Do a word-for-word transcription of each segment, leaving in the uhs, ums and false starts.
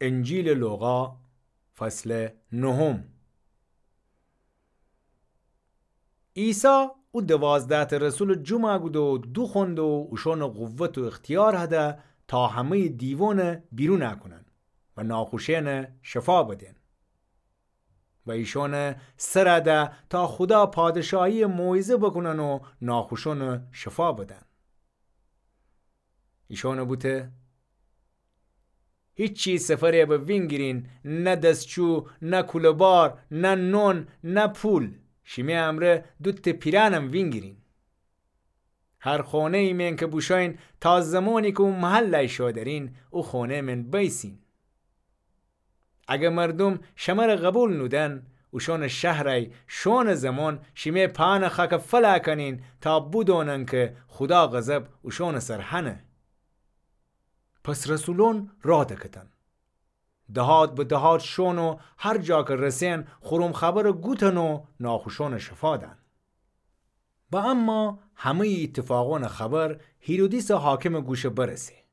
انجیلٚ لوقا، فصلٚ نهم. عیسی او دوازده‌تأ رسولٚ جومأ کوده و دوخوأنده و اوشأنٚ قوت و اختیار هده تا همه‌یٚ دیوأنَ بیرونَ کونن و ناخوشأنَ شفا بدن. و ایشأنٚ سرَ ده تا خودا پادشاهیَ موعظه بوکونن و ناخوشأنَ شفا بدن. ایشأنَ بوته: هیچی سفرَ به وینگیرین، نه دسچو، نه کوله‌بار، نه نون، نه پول. شیمه امرأ دوتأ پیرهنم وینگیرین. هر خونه‌یٚ مئن که بوشوین، تا زمانی که او محلَ شودرین، او خونه‌یٚ مئن بیسین. اگر مردوم شمره قوبیل نودن، اوشأنٚ شهرَی شوئونٚ زمان شیمه پاهنٚ خاکَ فلأ کونین تا بودونن که خودا غضب اوشأنٚ سر هنه. پس رسولأن راه دکفتن. دهات به دهات شوئون و هر جا که رسئن، خورم خبرَ گوتن و ناخوشأنَ شفا دن. و اما همه‌یٚ ایتفاقأنٚ خبر هیرودیسٚ حاکمٚ گوشَ برسه.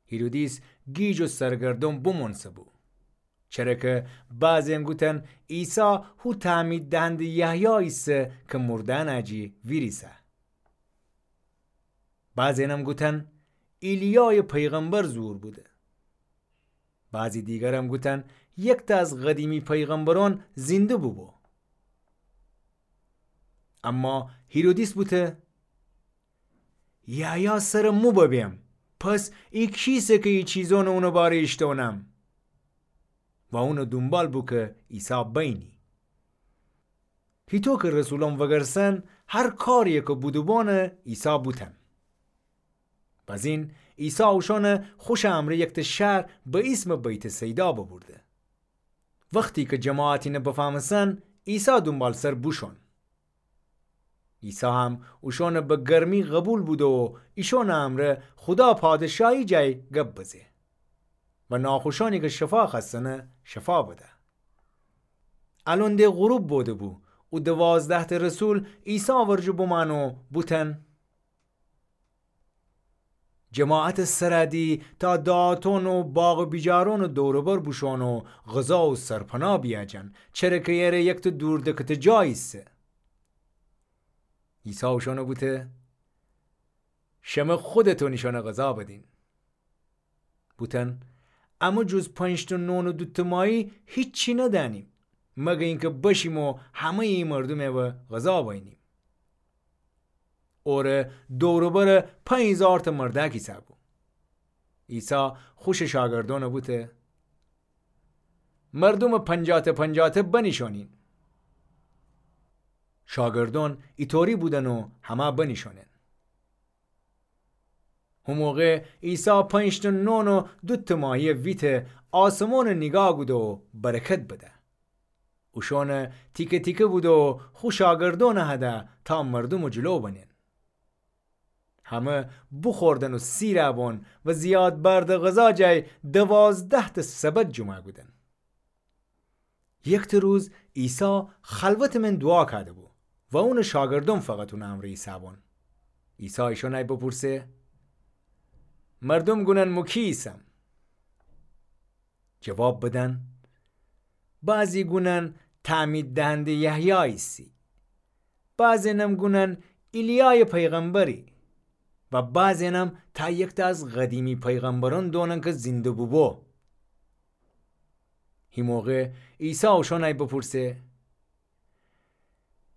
هیرودیس گیج و سرگردأن بمأنسه بو. چره که بعضی‌یأن گوتن عیسی هو تعمید دهنده‌یٚ یحیاییسه که مرده‌یأنَ جی ویریسه. بعضی‌یأنم گوتن ایلیایٚ پیغمبر ظهور بوده. بعضی دیگرم گوتن یکتأ از قدیمی پیغمبرأن زنده بوبو. اما هیرودیس بوته: یحیی سرٚ مو ببیم، پس ای کیسه که ای چیزأنَ اونٚ باره ایشتأنم؟ و اونٚ دونبال بو که عیسی بینی. هیطو که رسولأن وگرسن، هر کاریی که بودوبانَ عیسی بوتن. بزین عیسی اوشأنَ خوشٚ امرأ یکتأ شهر به ایسمٚ بیت‌صیدا ببرده. وختی که جماعت اینَ بفهمستن، عیسی دونبالسر بوشوئون. عیسی هم اوشأنَ به گرمی قوبیل بوده و ایشأنٚ امرأ خودا پادشاهی جای گب بزه و ناخوشأنی که شفا خوأستنَ شفا بده. الأن ده غروب بوده بو، او دوازده‌تأ رسول عیسی ورجه بمأن و بوتن: جماعتٚ سرَ دی تا دهاتأن و باغ و بیجارأنٚ دور و بر بوشوئون و غذا و سرپناه بیأجن، چره که ایره یکتأ دور دکتٚ جا ایسه. عیسی اوشأنَ بوته: شمه خودتأن ایشأنَ غذا بدین. بوتن: امه جز پنج‌تأ نون و دوتأ ماهی هیچی ندأنیم، مگر اینکه بشیم و همه‌یٚ ای مردومَ به غذا بینیم. اوره دور و بر پنج هیزارتأ مردأک ایسه بو. عیسی خوشٚ شاگردأنَ بوته: مردومَ پنجاه‌تأ پنجاه‌تأ بنیشأنین. شاگردأن ایطوری بودن و همه بنیشأنن. هو موقع عیسی پنج‌تأ نون و دوتأ ماهیَ ویته، آسمانَ نیگاه کوده و برکت بده. اوشأنَ تیکه تیکه بوده و خو شاگردأنَ هده تا مردومٚ جلو بنن. همه بوخوردن و سیرَ بون و زیاد بردٚ غذا جای دوازده‌تأ سبد جمعَ کودن. یکتأ روز عیسی خلوتٚ من دوعا کوده‌بو و اونٚ شاگردأن فقط اونٚ امرأ ایسه‌بون. عیسی ایشأنَ بپورسه: مردوم گونن مو کی ایسم؟ جواب بدن: بعضی گونن تعمید دهنده‌یٚ یحیی ایسی، بعضی‌ینم گونن ایلیایٚ پیغمبری و بعضی‌ینم تا یکتأ از قدیمی پیغمبرأن دونن کی زنده بوبو. هی موقع عیسی اوشأنَ بپورسه: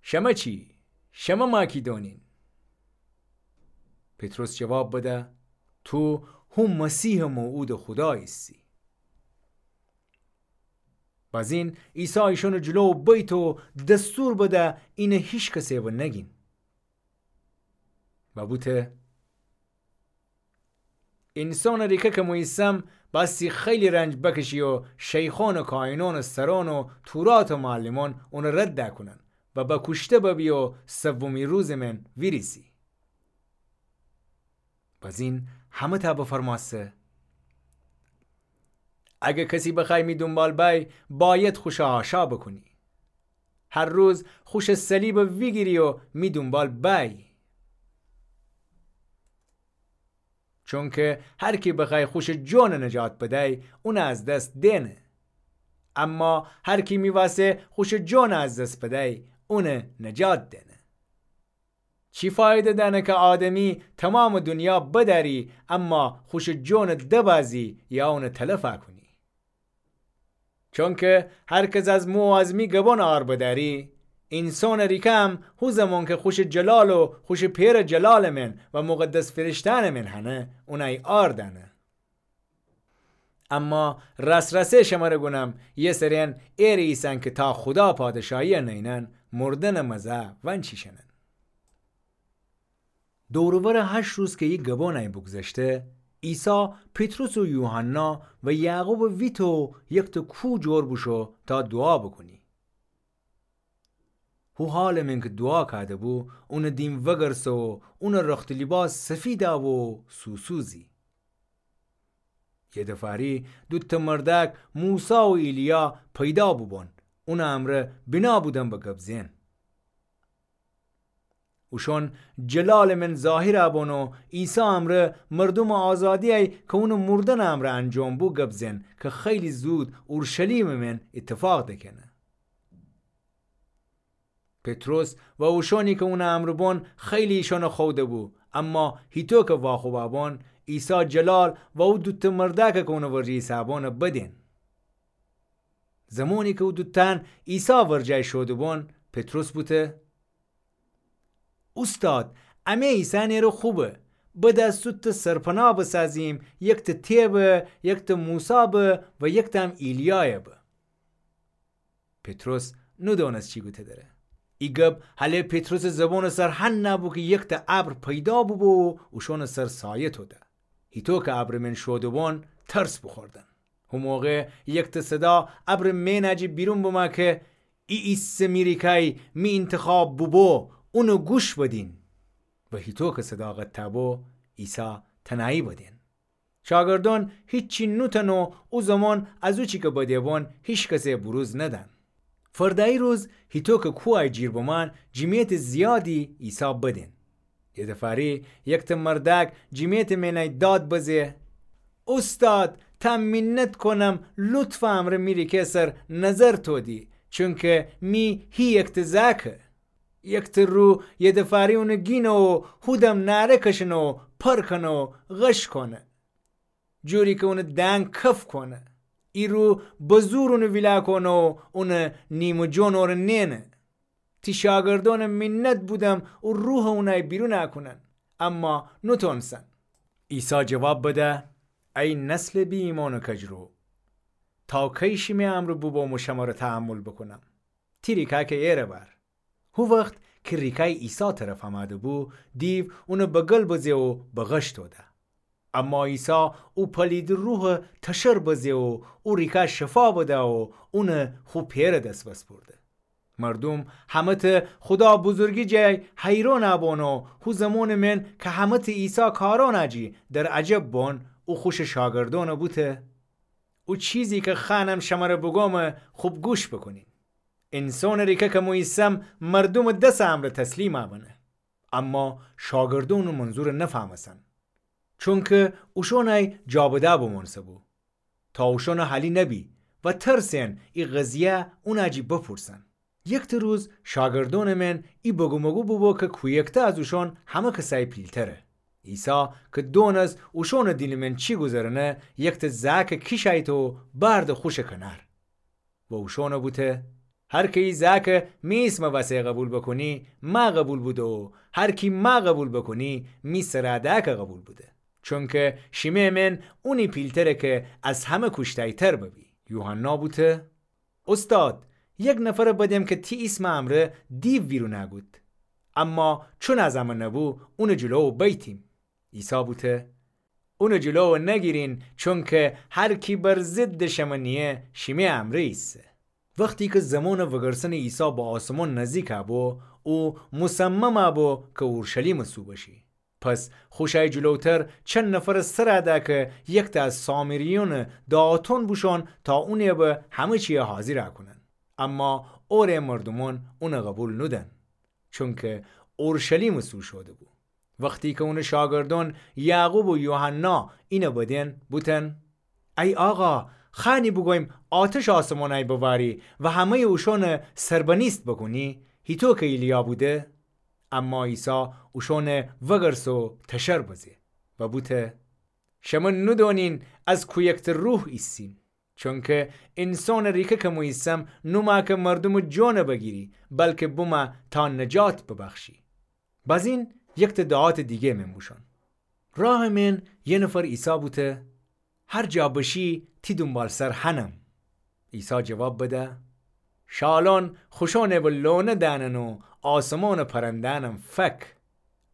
شمه چی؟ شمه ما کی دونین؟ پطرس جواب بده: تو هو مسیحٚ موعودٚ خودا ایسی. بزین عیسی ایشأنٚ جلو بیته و دستور بده اینَ هیکسَ به نگین. و بوته: اینسانٚ ریکه کی مو ایسم، بأیستی خیلی رنج بکشی و شیخأن و کاهینأنٚ سرأن و توراتٚ معلمأن اونَ رد کونن و بکوشته ببی و سومی روزٚ من ویریسی. بزین همه‌تأ بفرمأسته: اگر کسی بخوأیی می دونبال بأیی، بأید خوشَ حاشا بوکونی. هر روز خوشٚ صلیبَ ویگیری و می دونبال بأیی. چونکه هر کی بخوأی خوشٚ جونٚ نجات بدأی، اونٚ از دس دئنه. اما هر کی می واسه خوشٚ جونٚ از دس بدأی، اونٚ نجات دئنه. چی فایده دأنه کی آدمی تومامٚ دونیا بدأری، اما خوشٚ جونٚ دبازی یا اونٚ تلف کونی؟ چونکه هر کس از مو و از می گبون عار بدأری، اینسانٚ ریکه هم هو زمان کی خوشٚ جلال و خوشٚ پئرٚ جلالٚ من و مقدس فرشتأنٚ من هنه، اونأی عار دأنه. اما راس‌راسه شمره گونم، یه سرین ایره ایسن کی تا خودا پادشاهیی نینن، مردنٚ مزه ونچیشنن. دور و ورٚ هشت روز کی ای گبونأی بوگذشته، عیسی پطرس و یوحنا و یعقوبٚ ویته و یکته کوه جور بوشو تا دوعا بوکونی. هو حالٚ من کی دوعا کوده‌بو، اونٚ دیم وگرسه و اونٚ رخت و لیباس سفیدأ بو و سوسوزی. یه دفاری دوتأ مردأک موسی و ایلیا پیدا بوبون، اونٚ امرأ بینا بودن به گب زئن. اوشون جلالٚ من ظاهرأ بون و عیسی امرأ مردومٚ آزادیی کی اونٚ مردنٚ امرأ انجام بو گب زئن کی خیلی زود اورشلیمٚ من ایتفاق دکه‌نه. پطرس و اوشونی کی اونٚ امرأ بون خیلی ایشونٚ خوده‌بو، اما هیطو کی واخوبأ بون، عیسی جلال و او دوتأ مردأک کی اونٚ ورجه ایسه‌بون بدئن. زمانی کی او دوتأن عیسی ورجه‌یی شوده‌بون، پطرس بوته: اوستاد، امه ایسأن ایره خوبه. بده سوتأ سرپناه بسازیم، یکتأ تی به، یکتأ موسی به و یکتأ هم ایلیای به. پطرس نودونسته چی گوته دره. ای گب هله پطرسٚ زبونٚ سر هنأ بو کی یکتأ ابر پیدا بوبو و اوشونٚ سر سایه توده. هیطو کی ابرٚ من شوده‌بون، ترس بوخوردن. هو موقع یکتأ صدا ابرٚ مئنأ جی بیرون بمه کی: ای ایسه می ریکای، می اینتخاب بوبو، اونٚ گوش بدین. و هیطو کی صدا قطع بو، عیسی تنهایی بدئن. شاگردون هیچی نوتأن و او زمان از او چی کی بده‌بون هیکسه بوروز ندأن. فردأیی روز هیطو کی کوهأی جیر بمأن، جیمیتٚ زیادی عیسی بدئن. یه دفاری یکتأ مردأک جیمیتٚ مئنأی داد بزه: اوستاد، تا مینت کونم، لطفٚ امرأ می ریکه سر نظر تودی، چونکی می هی یکتأ زأکه. یکتأ روح یه دفاری اونٚ گینه و هودم نعره کشنه و پر کونه و غش کونه، جوری کی اونٚ دنگ کف کونه. ای روح به زور اونٚ ویلا کونه و اونٚ نیمٚ جون اوره نئنه. تی شاگردونٚ مینت بودم او روحٚ اونأی بیرون کونن، اما نوتونستن. عیسی جواب بده: ای نسلٚ بی‌ایمأن و کجرو، تا کی شیمه امرأ بوبوم و شمره تحمل بوکونم؟ تی ریکأ کی ایره بأر. هو وخت کی ریکأی عیسی طرف امأده‌بو، دیو اونٚ بغل بزه و به غش توده. اما عیسی او پلیدٚ روحٚ تشر بزه و او ریکأ شفا بده و اونٚ خو پئرٚ دس بسپرده. مردوم همه‌تأ خودا بزرگی جای حیرانٚ بون و هو زمانٚ من کی همه‌تأ عیسی کارأنٚ جی در عجب بون، او خوشٚ شاگردأن بوته: او چیزی کی خوأنم شمره بوگوم، خوب گوش بوکونین. اینسانٚ ریکه کی مو ایسم مردومٚ دسٚ امرأ تسلیم بنه. اما شاگردأن او منظور نفهمستن، چونکی اوشونأی جابده بمونسه‌بو، تا اوشونٚ حالی نبی و ترسئن ای قضیه اونٚ جی بپورسن. یکتأ روز شاگردأنٚ من ای بگومگو بوبو کی کویکته از اوشون همه کسأی پیلتره. عیسی کی دونست اوشونٚ دیلٚ من چی گوذرنه، یکتأ زأکٚ کیشأیته و بأرده خوشٚ کنأر. و اوشون بوته: هر کی ای زأکٚ می ایسمٚ وسه قوبیل بوکونی، مأ قوبیل بوده و هر کی مأ قوبیل بوکونی، می سرأ دأکٚ قوبیل بوده. چونکی شیمه من اونی پیلتره کی از همه کوشتایتر ببی. یوحنا بوته: اوستاد، یک نفرٚ بدم کی تی ایسمٚ امرأ دیو ویرون کود. اما چون از امه نبو، اونٚ جلو بیتیم. عیسی بوته: اونٚ جلو نگیرین، چونکی هر کی بر ضدٚ شمه نییه، شیمه امرأ ایسه. وختی کی زمانٚ وگرسنٚ عیسی به آسمان نزدیک بو، او مصمم بو کی اورشلیمٚ سو بشی. پس خوشأی جلوتر چند نفرٚ سرأ ده کی یکتأ از سامریونٚ دعاتون بوشون تا اونٚ به همه چیی حاضر کونن. اما اوره مردومون اون قوبیل نودن، چونکی اورشلیمٚ سو شوده‌بو. وختی کی اونٚ شاگردأن یعقوب و یوحنا اینَ بدین، بوتن: ای آقا، خأنی بوگویم آتشٚ آسمانأی بواری و همه‌یٚ اوشأنَ سربنیست بوکونی، هیطو کی ایلیا بوده؟ اما عیسی اوشأنَ وگرسه و تشر بزه و بوته: شمه نودونین از کویکته روح ایسین. چونکی اینسانٚ ریکه کی مو ایسم، نومأ کی مردومٚ جونَ بگیری، بلکی بومه تا نجات ببخشی. بازین یکته دعاتٚ دیگه مین بوشون. راهٚ مین یه نفر عیسی بوته: هر جا بشی، تی دونبالسر هنم. عیسی جواب بده: شالأن خوشأنَ به لونه دأنن و آسمانٚ پرنده‌أنم فک.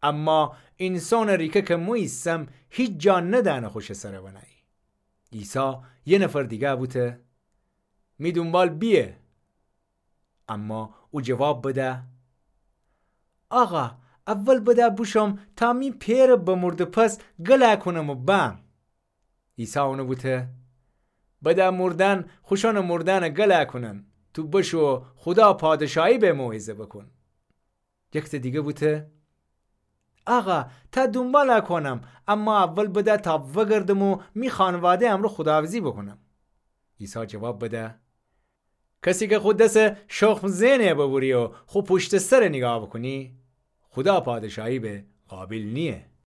اما اینسانٚ ریکه کی مو ایسم، هیچ جا ندأنه خوشٚ سرَ بنه‌یی. عیسی یه نفر دیگه بوته: می دونبال بیه. اما او جواب بده: آقا، اول بده بوشوم تا می پئرَ بمرده پس گلَ کونم و بأم. عیسی اونَ بوته: بده مردأن خوشأنٚ مردأنَ گلَ کونن، تو بشو خودا پادشاهی به موعظه بوکون. یکته دیگه بوته: آقا، تا دونبالَ کونم، اما اول بده تا وگردم و می خانواده امرأ خداحافظی بوکونم. عیسی جواب بده: کسی کی خو دسَ شخم زئنه ببری و خو پوشتٚ سرَ نیگاه بوکونی، خودا پادشاهی به قابل نییه.